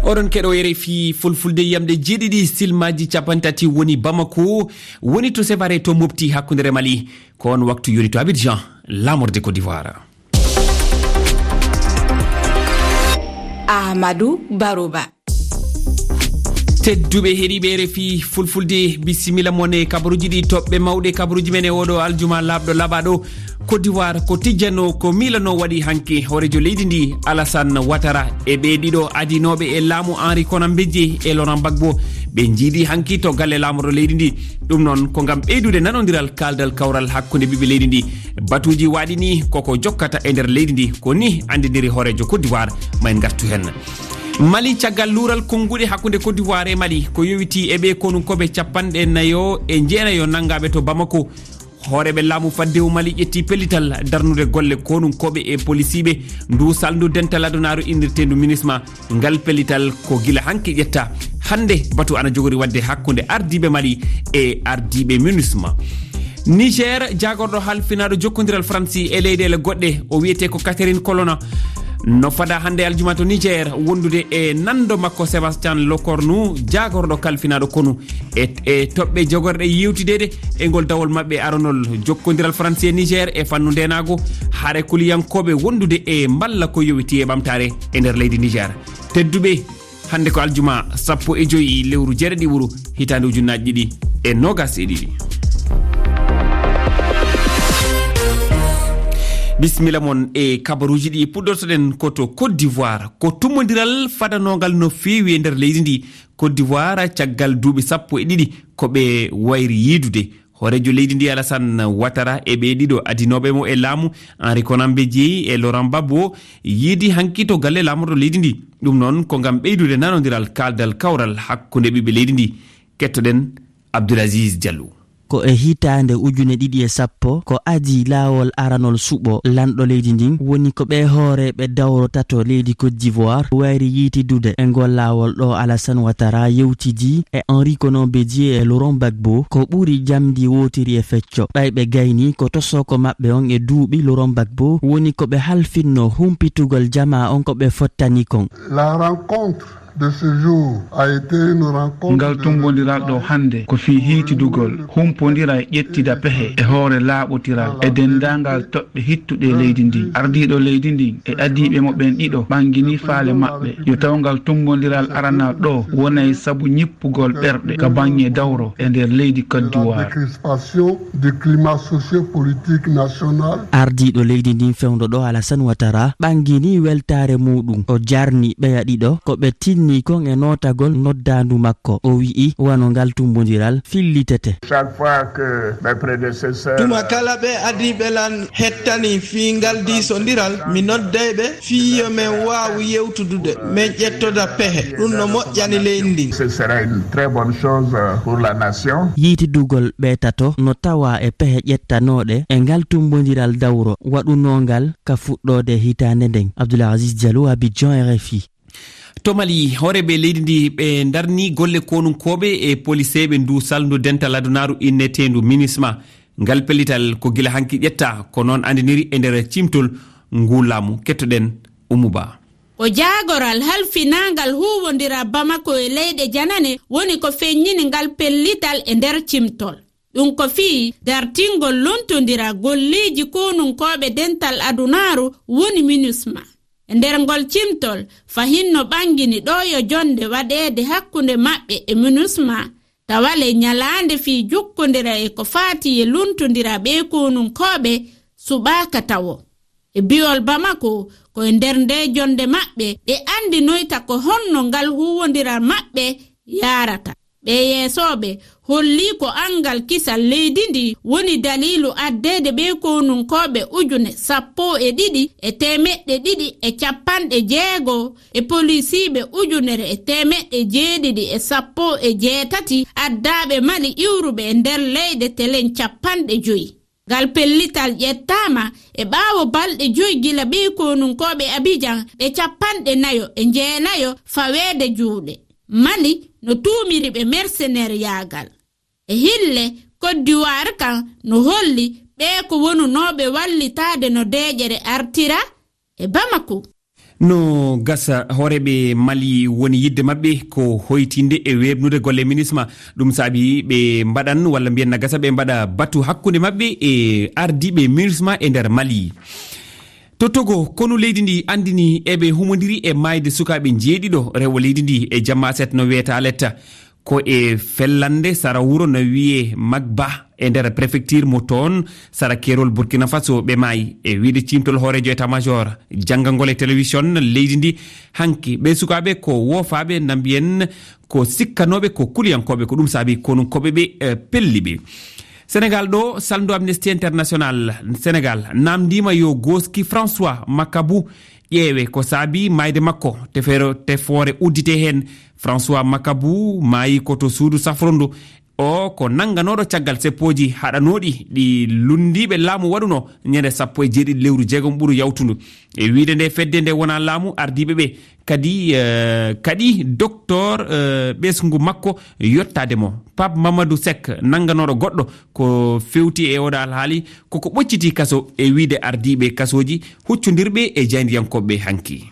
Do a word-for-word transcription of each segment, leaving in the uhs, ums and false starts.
Oɗon keɗo R F I Fulfulde, yamɗe jeeɗiɗi silmaji capanɗe tati woni Bamako, woni to Sévaré to Mopti hakkunde Mali. Ko on waktu yoni to Abidjan, laamorde Côte d'Ivoire. Ahmadou Baroba. Tedduɓe heɗiiɓe R F I Fulfulde, bisimilla mon e kabaruuji ɗi toɓɓe mawɗe kabaruuji men e oɗo aljuma laaɓɗo laaɓaaɗo. Côte d'Ivoire ko tijjano, ko miilano waɗi hanki hooreejo leydi ndi Alassane Ouattara e ɓe ɗiɗo adinooɓe e laamu Henri Konan Bédié e Laurent Gbagbo. Ɓe njiidi hanki to galle laamorɗo leydi ndi. Ɗum noon ko ngam ɓeydude nanondiral kaaldal kawral hakkunde ɓiɓɓe leydi ndi. Batuuji waɗi ni koko jokkata e nder leydi ndi. Ko ni anndiniri hooreejo Côte d'Ivoire. Ma en ngartu heen. Mali, caggal luural konnguɗi hakkunde Côte d'Ivoire e Mali, ko yowiti e ɓe konunkooɓe capanɗe nayo e jeenayo nanngaaɓe to Bamako. Hooreeɓe laamu faddewu Mali ƴetti pellital darnude golle konunkooɓe e polisiiɓe ndu salndu dental adunaaru innirteendu MINUSMA. Ngal pellital ko gila hanki ƴetta. Hannde batu ana jogori waɗde hakkunde ardiiɓe Mali e ardiiɓe MINUSMA. Niger, jaagorɗo halfinaaɗo jokkondiral Faransi e leyɗeele goɗɗe, o wiyetee ko Catherine Colonna. No fada hannde aljuma to Niger wondude e nanndo makko Sébastien Lecornu, jaagorɗo kalfinaaɗo konu. E, e toɓɓe jogorɗe yewtideede e ngol dawol maɓɓe aronol jokkondiral Faransi e Niger e fannu ndeenaagu, hare kuliyankooɓe wondude e mballa ko yowiti e ɓamtaare e nder leydi Niger. Tedduɓe, hannde ko aljuma sappo e joyi lewru jeeɗiɗiwru hitaande ujunnaaji ɗiɗi e noogas e ɗiɗi. Bisimilla mon e kabaruuji ɗi puɗɗortoɗen ko to Côte d'Ivoire. Ko tummbondiral fadanongal no feewi e nder leydi ndi. Côte d'Ivoire, caggal duuɓi sappo e ɗiɗi ko ɓe wayri yiidude. Hooreejo leydi ndi Alassane Ouattara e ɓe ɗiɗo adinooɓe mo e laamu, Henri Konan Bédié e Laurent Gbagbo, yiidi hanki to galle laamorɗo leydi ndi. Ɗum noon ko ngam ɓeydude nanondiral kaaldal kawral hakkunde ɓiɓɓe leydi ndi. Kettoɗen Abdoulaziz Diallo. Ko e hitaande ujune ɗiɗi e sappo ko adii laawol aranol suɓo lanɗo leydi ndin, woni ko ɓe hooreeɓe dawro tato leydi Côte d'Ivoire wayri yiitidude e ngol laawol ɗo Alassane Ouattara yewtidii e Henri Konan Bédié e Laurent Gbagbo, ko ɓuri jamndi wootiri e fecco. Ɓay ɓe gayni ko tosoko maɓɓe on e duuɓi Laurent Gbagbo woni ko ɓe halfinno humpitugol jamaa on ko ɓe fottani kon. La rencontre de ce jour a été une rencontre. Ngal tummbondiral ɗo hannde ko fii hiitidugol, humpondira e ƴettida pehe e hoore laaɓotiral e denndaangal toɓɓe hittuɗe e leydi ndin. Ardiiɗo leydi ndin e adiiɓe mo ɓen ɗiɗo ɓanngini faale maɓɓe yo taw ngal tummbondiral aranal ɗo wonay sabu ñippugol ɓerɗe ka baŋŋe dawro e nder leydi Côte d'Ivoire. Décrispation du climat socio-politique national. Ardiiɗo leydi ndin fewndo ɗo Alassane Ouattara ɓanngini weltaare muuɗum. O jarni ɓeya ɗiɗo ko ɓe tinni kon e nootagol noddaandu makko. O wi'i wano ngal tummbondiral fillitete. Chaque fois que mes prédécesseurs. Tuma kala ɓe adiiɓe lan hettani fii ngal diisondiral, mi nodday ɓe fii yo men waawu yewtudude, men ƴettoda pehe. Ɗum no moƴƴani leydi ndin. Ce sera une très bonne chose, euh, pour la nation. Yiitidugol ɓe tato no tawa e pehe ƴettanooɗe e ngal tummbondiral dawro waɗunoongal ka fuɗɗoode hitaande nden. Abdoulaziz Diallo, Abidjan, R F I. To Mali, hooreeɓe leydi ndi ɓe ndarni golle konunkooɓe e poliseeɓe ndu salndu dental adunaaru inneteendu MINUSMA. Ngal pellital ko gila hanki ƴetta, ko noon anndiniri e nder cimtol ngu laamu. Kettoɗen Oumou Ba. Ko jaagoral halfinaangal huuwondira Bamako e leyɗe janane woni ko feññini ngal pellital e nder cimtol. Ɗum ko fii dartingol lontondira golleeji konunkooɓe dental adunaaru woni MINUSMA. E nder ngol cimtol, fahin no ɓanngini ɗo yo jonnde waɗeede hakkunde maɓɓe e MINUSMA, tawa le ñalaande fii jokkondira e ko faati e lontondira ɓee konunkooɓe suɓaaka tawo. E bi'ol Bamako, ko e nder ndee jonnde maɓɓe ɓe anndinoyta ko honno ngal huuwondiral maɓɓe yaarata. Ɓee yeesooɓe hollii ko anngal kisal leydi ndi woni daliilu addeede ɓee konunkooɓe ujune sappo e ɗiɗi e teemeɗɗe ɗiɗi e capanɗe jeego e polisiiɓe ujunere e teemeɗɗe jeeɗiɗi e sappo e jeetati addaaɓe Mali iwruɓe e nder leyɗe telen capanɗe joyi. Ngal pellital ƴettaama e ɓaawo balɗe joyi gila ɓee konunkooɓe Abijan ɓe capanɗe nayo e jeenayo faweede juuɗe. Mali no tuumiri ɓe merseneryaagal. E hille, Koddiwaar kan no holli ɓee ko wonunooɓe wallitaade no deeƴere artira e Bamako. No gasa, hooreeɓe Mali woni yiɗde maɓɓe ko hoytinde e weeɓnude golle MINUSMA. Ɗum saabi ɓe mbaɗan, walla mbiyen na gasa ɓe mbaɗa batu hakkunde maɓɓe e ardiiɓe MINUSMA e nder Mali. To Togo, konu leydi ndi anndini eɓe humondiri e maayde sukaaɓe njeeɗiɗo rewo leydi ndi e jamma aset no wiyata Aletta. Ko e fellande sara wuro no wiyee Magba e nder prefecture mo toon sara keerol Burkina Faso ɓe maayi. E wiyde ciimtol hooreejo état-major, janngangol e télévision leydi ndi hanki, ɓe sukaaɓe ko woofaaɓe na mbiyen ko sikkanooɓe ko kuliyankooɓe, ko ɗum saabi konunkooɓe ɓe, eh, pelli ɓe. Senegal ɗo, salndu Amnesty International Senegal namndiima yo gooski François Makabu ƴeewe ko saabi maayde makko, tefeero-, tefoore uddite heen. François Makabu maayi ko to suudu safrondu. O ko nannganooɗo caggal seppooji haɗanooɗi ɗi lunndiiɓe laamu waɗuno ñande sappo e jeeɗiɗi lewru jeegom ɓuru yawtundu. E wiyde nde fedde nde wonaa laamu, ardiiɓe ɓe kadi, eh, kadi docteur, eh, ɓesngu makko yottaade mo. Pape Mamadou Seck, nannganooɗo goɗɗo ko fewti e oɗo alhaali, koko ɓocciti kaso e wiyde ardiiɓe kasooji huccondirɓe e jaayndiyankooɓe hanki.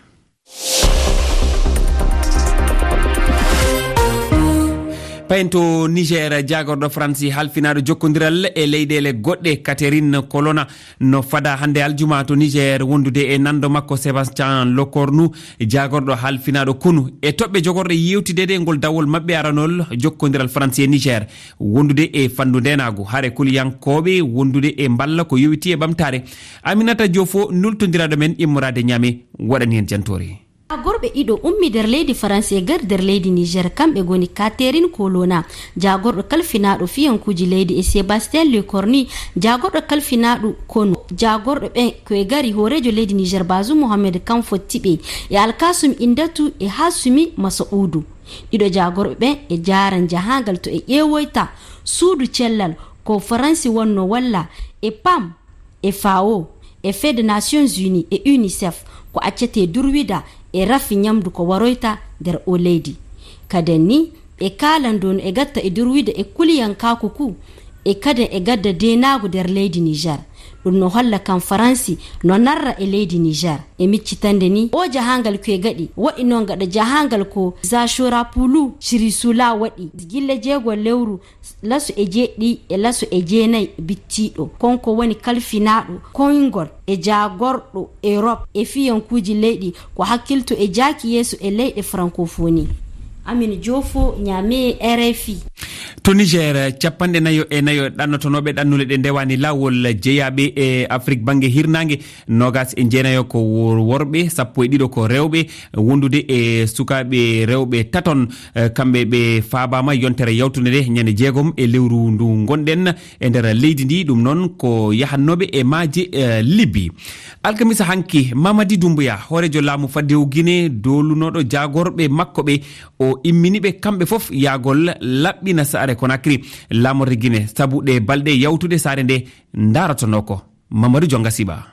Payen to Niger, jaagorɗo Faransi halfinaaɗo jokkondiral e leyɗeele goɗɗe, Catherine Colonna, no fada hannde aljuma to Niger wondude e nanndo makko Sébastien Lecornu, jaagorɗo halfinaaɗo konu. E toɓɓe jogorɗe yewtideede ngol dawol maɓɓe aranol jokkondiral Faransi e Niger, wondude e fanndu ndeenaagu, hare kuliyankooɓe wondude e mballa ko yowiti e ɓamtaare. Aminata Diofo, nultondiraaɗo men immoraade Niamey, waɗani en jantoore. Gorɓe ɗiɗo ummi nder leydi Faransi e gar nder leydi Niger, kamɓe ngoni Catherine Colonna, jaagorɗo kalfinaaɗo fiyankuuji leydi, e Sébastien Lecornu, jaagorɗo kalfinaaɗo konu. Jaagorɗo ɓen ko e gari hooreejo leydi Niger, Bazoum Mohamed, kam fotti ɓe, e Alkasum Indatu e Hasumi Masa'udu. Ɗiɗo jaagorɓe ɓen e jaaran jahaangal to e ƴeewoyta suudu cellal ko Faransi wonno walla e pam, e FAO, e Fed Nations Unies e UNICEF, ko accetee durwida e rafi ñamdu ko waroyta nder o leydi. Kaden ni, ɓe kaalan dow no e gatta e durwida e kuliyankaaku ku, e kaden e gadda deenaagu nder leydi Niger. Ɗum no holla kan Faransi no narra e leydi Niger. E miccitande ni, o jahaangal ko e gaɗi, waɗi noon gaɗa jahaangal ko Zachorapulu Chirisula waɗi, gilla jeego lewru laso e jeeɗiɗi e laso e jeenayi bittiiɗo. Konko woni kalfinaaɗo koyngol e jaagorɗo Europe e fiyankuuji leyɗi ko hakkilto e jaaki yeeso e leyɗe francophonie. Amin Joofo, Niamey, R F I. To Niger, capanɗe nayo e nayo ɗannotonooɓe ɗannule ɗe ndewani laawol jeyaaɓe e Afrik bannge hirnaange, noogas e jeenayo ko wor-, worɓe, sappo e ɗiɗo ko rewɓe, wondude e sukaaɓe rewɓe taton, eh, kamɓe ɓe faabaama yontere yawtunde nde, ñande jeegom e lewru ndu ngonɗen e nder leydi ndi. Ɗum noon ko yahannooɓe e maaje, eh, Libye. Alkamisa hanki, Mamadi Doumbouya, hooreejo laamu faddewu Guinée, doolunooɗo jaagorɓe makko ɓe, o immini ɓe kamɓe fof yahgol laɓɓina saare Conakry, laamorde Guinée, sabu ɗe balɗe yawtude saare nde ndaaratonoo ko. Mamadou Dionga Siba.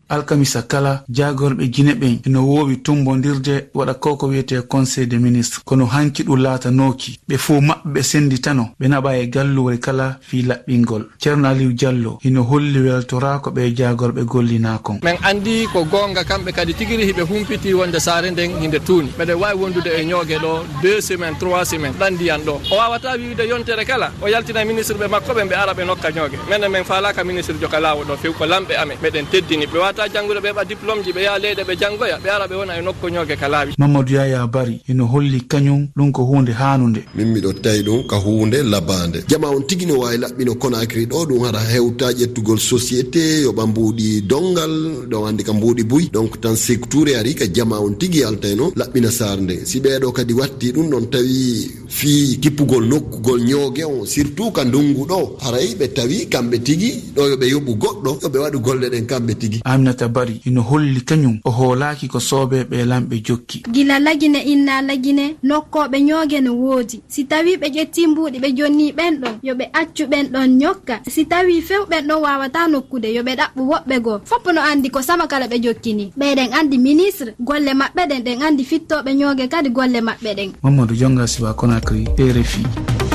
Alkamisa kala, jaagorɓe Gine ɓen ina woowi tummbondirde, waɗa ko ko wiyetee Conseil des ministres. Kono hanki ɗum laatanooki. Ɓe fof maɓɓe ɓe sennditano, ɓe naɓa e galluure kala fii laɓɓingol. Ceerno Aliou Diallo hino holli weltoraako ɓee jaagorɓe gollinaa kon. Men anndi ko goonga, kamɓe kadi tigi rigi ɓe humpitii wonde saare nden hinde tuuni. Meɗen waawi wondude e ñooge ɗo deux semaines, trois semaines, ɗan ndiyan ɗo. O waawataa wi'ude yontere kala, o yaltina ministre ɓe makko ɓen, ɓe ara ɓe nokka ñooge. Menen, men faalaaka ministre joka laawo ɗo few, ko lamɓe amen. Meɗen teddini ɓe. Ɓe waawataa janngude, ɓe heɓa diplôme ji, ɓe yaha leyɗe, ɓe janngoya, ɓe ara ɓe wona e nokku ñooge ka laawi. Mamadou Yaya Bari hino holli kañum ɗum ko huunde haanunde. Min miɗo tawi ɗum ka huunde labaande. Jamaa on tigi no waawi laɓɓino Conakry ɗo, ɗum hara hewta ƴettugol société, yoɓa mbuuɗi donngal, ɗon anndi ka mbuuɗi buy. Donc tan Sékou Touré ari ka jamaa on tigi yaltayno laɓɓina saare nden. Si ɓee ɗo kadi watti ɗum ɗon tawi fii kippugol nokkugol ñooge on, surtout ka ndunngu ɗo, haray ɓe tawi kamɓe tigi ɗo yo ɓe yoɓu goɗɗo, yo ɓe waɗu golle ɗen kamɓe tigi. Aminata Bari hino holli kañum o hoolaaki ko soobee ɓee lamɓe jokki. Gila Lagine inna Lagine, nokkooɓe ñooge no woodi. Si tawii ɓe ƴettii mbuuɗi ɓe jonnii ɓen ɗon, yo ɓe accu ɓen ɗon ñokka. Si tawii few ɓen ɗon waawataa nokkude, yo ɓe ɗaɓɓu woɓɓe goo. Fof no anndi ko sama kala ɓe jokki nii. Ɓeyɗen anndi ministre, golle maɓɓe ɗen, ɗen anndi fittooɓe ñooge kadi golle maɓɓe ɗen. Mamadou Dionga Siba, Conakry, R F I. R F I.